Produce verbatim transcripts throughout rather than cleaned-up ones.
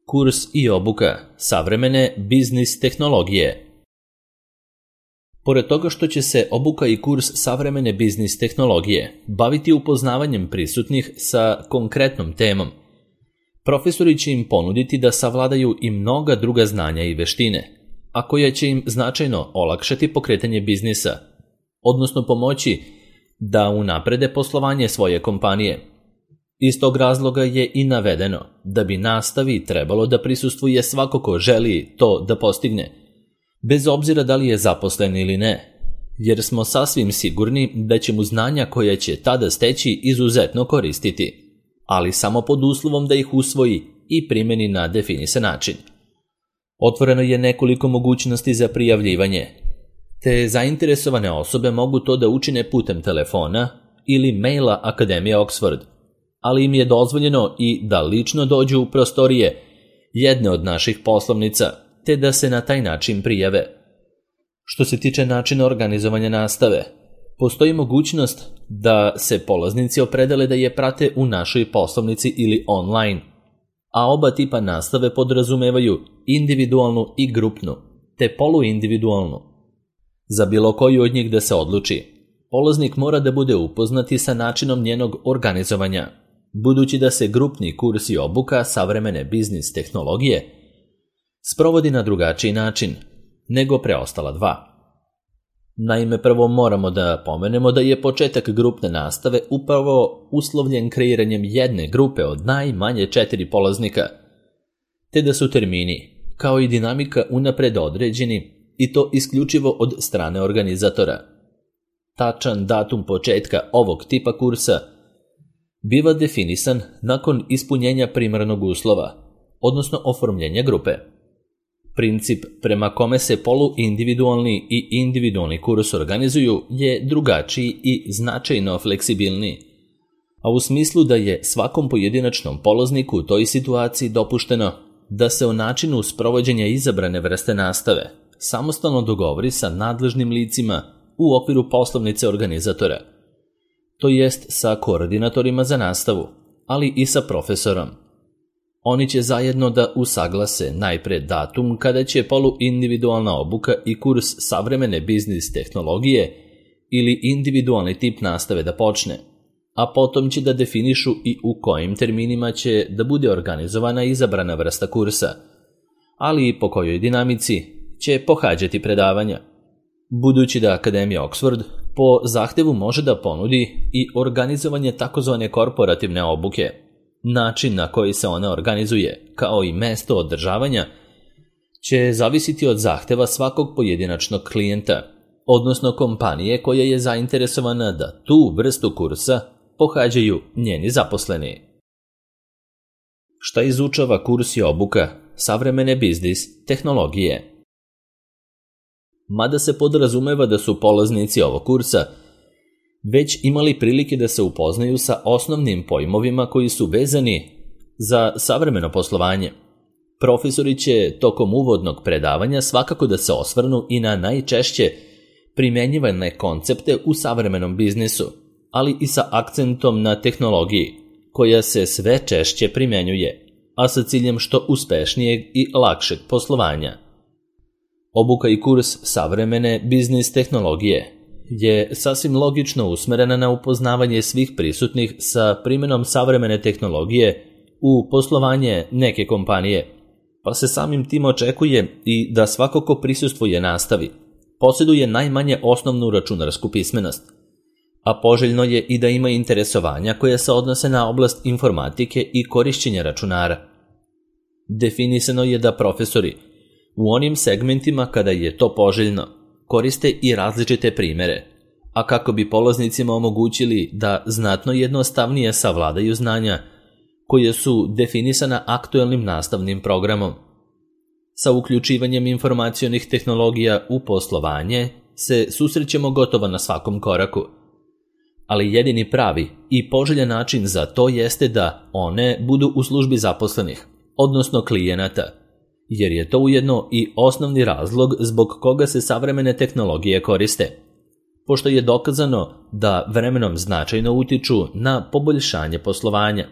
kurs i obuka savremene biznis tehnologije. Pored toga što će se obuka i kurs savremene biznis tehnologije baviti upoznavanjem prisutnih sa konkretnom temom, profesori će im ponuditi da savladaju i mnoga druga znanja i veštine, a koja će im značajno olakšati pokretanje biznisa, odnosno pomoći da unaprede poslovanje svoje kompanije. Iz tog razloga je i navedeno da bi nastavi trebalo da prisustvuje svako ko želi to da postigne, bez obzira da li je zaposlen ili ne, jer smo sasvim sigurni da će mu znanja koja će tada steći izuzetno koristiti, ali samo pod uslovom da ih usvoji i primeni na definisan način. Otvoreno je nekoliko mogućnosti za prijavljivanje, te zainteresovane osobe mogu to da učine putem telefona ili maila Akademije Oxford, ali im je dozvoljeno i da lično dođu u prostorije jedne od naših poslovnica, te da se na taj način prijave. Što se tiče načina organizovanja nastave, postoji mogućnost da se polaznici opredele da je prate u našoj poslovnici ili online, a oba tipa nastave podrazumevaju individualnu i grupnu, te poluindividualnu. Za bilo koju od njih da se odluči, polaznik mora da bude upoznati sa načinom njenog organizovanja, budući da se grupni kurs i obuka savremene biznis tehnologije sprovodi na drugačiji način nego preostala dva. Naime, prvo moramo da pomenemo da je početak grupne nastave upravo uslovljen kreiranjem jedne grupe od najmanje četiri polaznika, te da su termini, kao i dinamika unapred određeni i to isključivo od strane organizatora. Tačan datum početka ovog tipa kursa biva definisan nakon ispunjenja primarnog uslova, odnosno oformljenja grupe. Princip prema kome se poluindividualni i individualni kurs organizuju je drugačiji i značajno fleksibilniji, a u smislu da je svakom pojedinačnom polazniku u toj situaciji dopušteno da se o načinu sprovođenja izabrane vrste nastave samostalno dogovori sa nadležnim licima u okviru poslovnice organizatora, to jest sa koordinatorima za nastavu, ali i sa profesorom. Oni će zajedno da usaglase najpre datum kada će poluindividualna obuka i kurs savremene biznis tehnologije ili individualni tip nastave da počne, a potom će da definišu i u kojim terminima će da bude organizovana izabrana vrsta kursa, ali i po kojoj dinamici će pohađati predavanja. Budući da Akademija Oxford po zahtevu može da ponudi i organizovanje takozvane korporativne obuke, način na koji se ona organizuje, kao i mesto održavanja, će zavisiti od zahteva svakog pojedinačnog klijenta, odnosno kompanije koja je zainteresovana da tu vrstu kursa pohađaju njeni zaposleni. Šta izučava kurs i obuka savremene biznis tehnologije? Mada se podrazumeva da su polaznici ovog kursa već imali prilike da se upoznaju sa osnovnim pojmovima koji su vezani za savremeno poslovanje, profesori će tokom uvodnog predavanja svakako da se osvrnu i na najčešće primenjivane koncepte u savremenom biznisu, ali i sa akcentom na tehnologiji, koja se sve češće primenjuje, a sa ciljem što uspešnijeg i lakšeg poslovanja. Obuka i kurs savremene biznis tehnologije je sasvim logično usmerena na upoznavanje svih prisutnih sa primjenom savremene tehnologije u poslovanje neke kompanije, pa se samim tim očekuje i da svako ko prisustvuje nastavi posjeduje najmanje osnovnu računarsku pismenost, a poželjno je i da ima interesovanja koje se odnose na oblast informatike i korišćenja računara. Definisano je da profesori u onim segmentima kada je to poželjno koriste i različite primere, a kako bi polaznicima omogućili da znatno jednostavnije savladaju znanja koje su definisana aktuelnim nastavnim programom. Sa uključivanjem informacionih tehnologija u poslovanje se susrećemo gotovo na svakom koraku, ali jedini pravi i poželjan način za to jeste da one budu u službi zaposlenih, odnosno klijenata, jer je to ujedno i osnovni razlog zbog koga se savremene tehnologije koriste, pošto je dokazano da vremenom značajno utiču na poboljšanje poslovanja.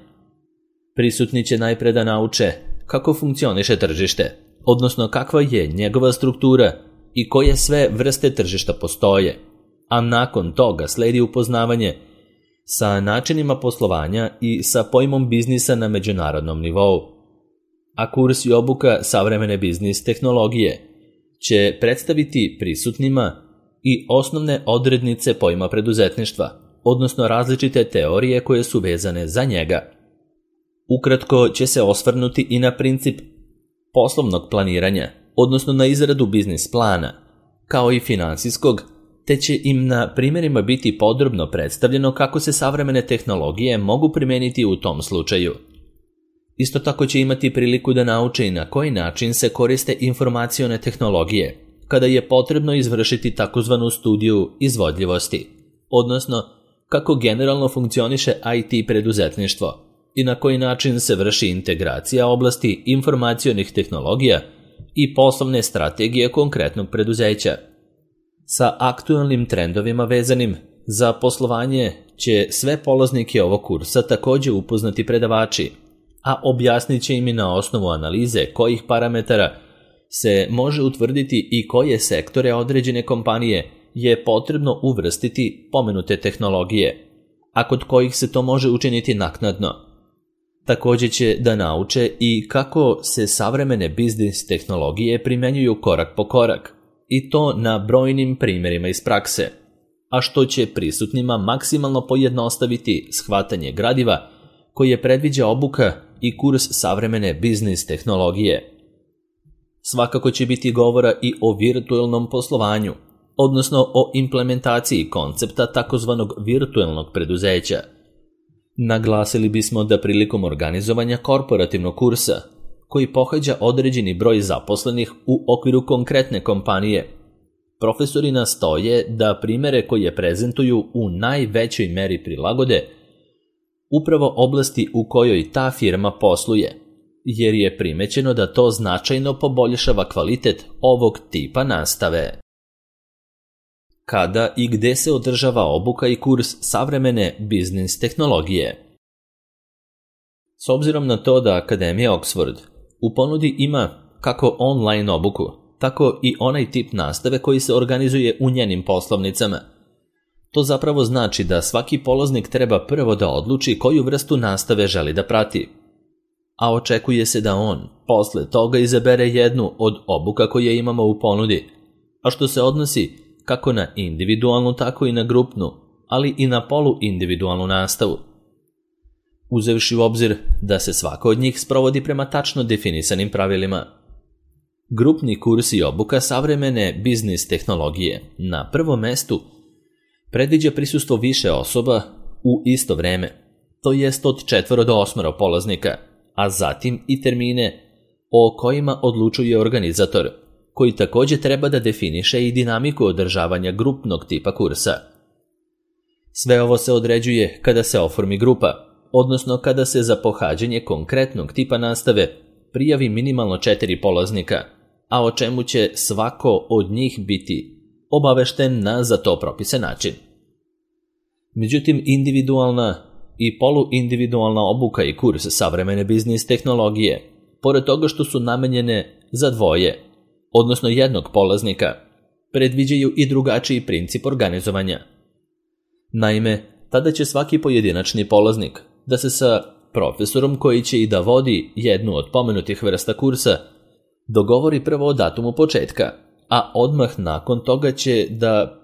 Prisutni će najpre da nauče kako funkcioniše tržište, odnosno kakva je njegova struktura i koje sve vrste tržišta postoje, a nakon toga sledi upoznavanje sa načinima poslovanja i sa pojmom biznisa na međunarodnom nivou. A kurs i obuka savremene biznis tehnologije će predstaviti prisutnima i osnovne odrednice pojma preduzetništva, odnosno različite teorije koje su vezane za njega. Ukratko će se osvrnuti i na princip poslovnog planiranja, odnosno na izradu biznis plana, kao i finansijskog, te će im na primjerima biti podrobno predstavljeno kako se savremene tehnologije mogu primijeniti u tom slučaju. Isto tako će imati priliku da nauče i na koji način se koriste informacione tehnologije, kada je potrebno izvršiti takozvanu studiju izvodljivosti, odnosno kako generalno funkcioniše I T preduzetništvo i na koji način se vrši integracija oblasti informacionih tehnologija i poslovne strategije konkretnog preduzeća. Sa aktualnim trendovima vezanim za poslovanje će sve polaznike ovog kursa također upoznati predavači, a objasnit će im i na osnovu analize kojih parametara se može utvrditi i koje sektore određene kompanije je potrebno uvrstiti pomenute tehnologije, a kod kojih se to može učiniti naknadno. Također će da nauče i kako se savremene biznis tehnologije primjenjuju korak po korak, i to na brojnim primjerima iz prakse, a što će prisutnima maksimalno pojednostaviti shvatanje gradiva koje predviđa obuka i kurs savremene biznis tehnologije. Svakako će biti govora i o virtualnom poslovanju, odnosno o implementaciji koncepta takozvanog virtualnog preduzeća. Naglasili bismo da prilikom organizovanja korporativnog kursa, koji pohađa određeni broj zaposlenih u okviru konkretne kompanije, profesori nastoje da primjere koje prezentuju u najvećoj meri prilagode upravo oblasti u kojoj ta firma posluje, jer je primećeno da to značajno poboljšava kvalitet ovog tipa nastave. Kada i gde se održava obuka i kurs savremene biznis tehnologije? S obzirom na to da Akademija Oxford u ponudi ima kako online obuku, tako i onaj tip nastave koji se organizuje u njenim poslovnicama, to zapravo znači da svaki polaznik treba prvo da odluči koju vrstu nastave želi da prati, a očekuje se da on posle toga izabere jednu od obuka koje imamo u ponudi, a što se odnosi kako na individualnu, tako i na grupnu, ali i na poluindividualnu nastavu. Uzevši u obzir da se svaka od njih sprovodi prema tačno definisanim pravilima. Grupni kurs i obuka savremene biznis tehnologije na prvom mestu predviđa prisustvo više osoba u isto vreme, to jest od četvoro do osmoro polaznika, a zatim i termine o kojima odlučuje organizator, koji također treba da definiše i dinamiku održavanja grupnog tipa kursa. Sve ovo se određuje kada se oformi grupa, odnosno kada se za pohađanje konkretnog tipa nastave prijavi minimalno četiri polaznika, a o čemu će svako od njih biti obavešten na za to propisan način. Međutim, individualna i poluindividualna obuka i kurs savremene biznis tehnologije, pored toga što su namenjene za dvoje, odnosno jednog polaznika, predviđaju i drugačiji princip organizovanja. Naime, tada će svaki pojedinačni polaznik da se sa profesorom koji će i da vodi jednu od pomenutih vrsta kursa dogovori prvo o datumu početka, a odmah nakon toga će da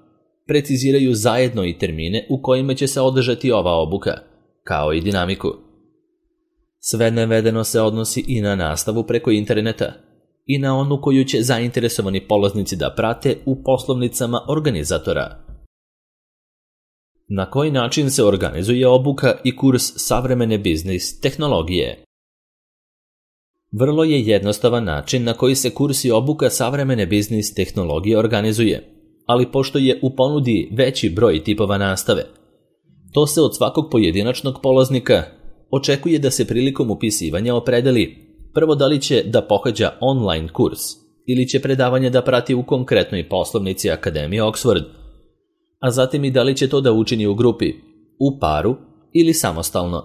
preciziraju zajedno i termine u kojima će se održati ova obuka, kao i dinamiku. Sve navedeno se odnosi i na nastavu preko interneta i na onu koju će zainteresovani polaznici da prate u poslovnicama organizatora. Na koji način se organizuje obuka i kurs savremene biznis tehnologije? Vrlo je jednostavan način na koji se kurs i obuka savremene biznis tehnologije organizuje, ali pošto je u ponudi veći broj tipova nastave, to se od svakog pojedinačnog polaznika očekuje da se prilikom upisivanja opredeli prvo da li će da pohađa online kurs ili će predavanje da prati u konkretnoj poslovnici Akademije Oxford, a zatim i da li će to da učini u grupi, u paru ili samostalno.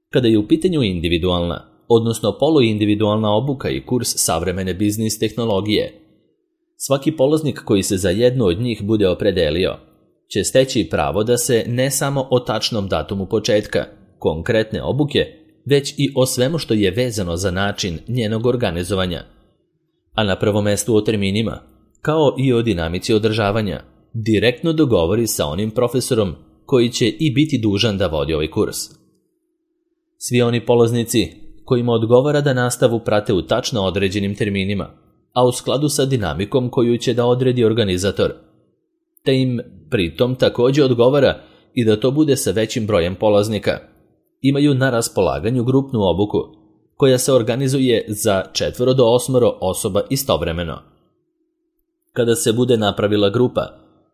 Kada je u pitanju individualna, odnosno poluindividualna obuka i kurs savremene biznis tehnologije. Svaki polaznik koji se za jednu od njih bude opredelio će steći pravo da se ne samo o tačnom datumu početka konkretne obuke, već i o svemu što je vezano za način njenog organizovanja. A na prvom mestu o terminima, kao i o dinamici održavanja, direktno dogovori sa onim profesorom koji će i biti dužan da vodi ovaj kurs. Svi oni polaznici kojima odgovara da nastavu prate u tačno određenim terminima, a u skladu sa dinamikom koju će da odredi organizator, te im pritom također odgovara i da to bude sa većim brojem polaznika, imaju na raspolaganju grupnu obuku koja se organizuje za četvoro do osmoro osoba istovremeno. Kada se bude napravila grupa,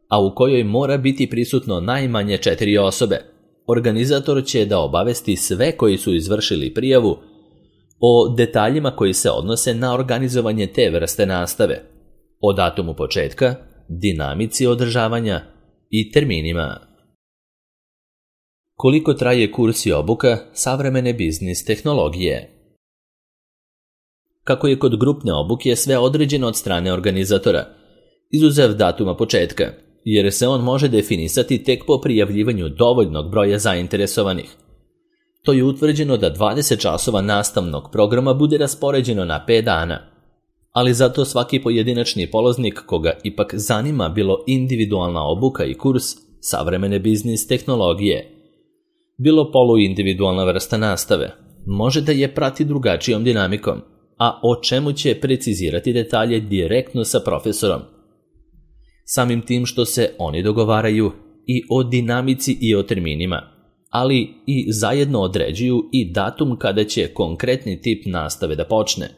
a u kojoj mora biti prisutno najmanje četiri osobe, organizator će da obavesti sve koji su izvršili prijavu o detaljima koji se odnose na organizovanje te vrste nastave, o datumu početka, dinamici održavanja i terminima. Koliko traje kurs i obuka savremene biznis tehnologije? Kako je kod grupne obuke sve određeno od strane organizatora, izuzev datuma početka, jer se on može definisati tek po prijavljivanju dovoljnog broja zainteresovanih. To je utvrđeno da dvadeset časova nastavnog programa bude raspoređeno na pet dana, ali zato svaki pojedinačni polaznik koga ipak zanima bilo individualna obuka i kurs savremene biznis tehnologije, bilo poluindividualna vrsta nastave, može da je prati drugačijom dinamikom, a o čemu će precizirati detalje direktno sa profesorom. Samim tim što se oni dogovaraju i o dinamici i o terminima, ali i zajedno određuju i datum kada će konkretni tip nastave da počne.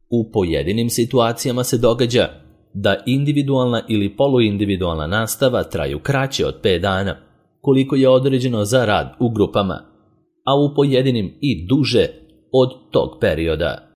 U pojedinim situacijama se događa da individualna ili poluindividualna nastava traju kraće od pet dana, koliko je određeno za rad u grupama, a u pojedinim i duže od tog perioda.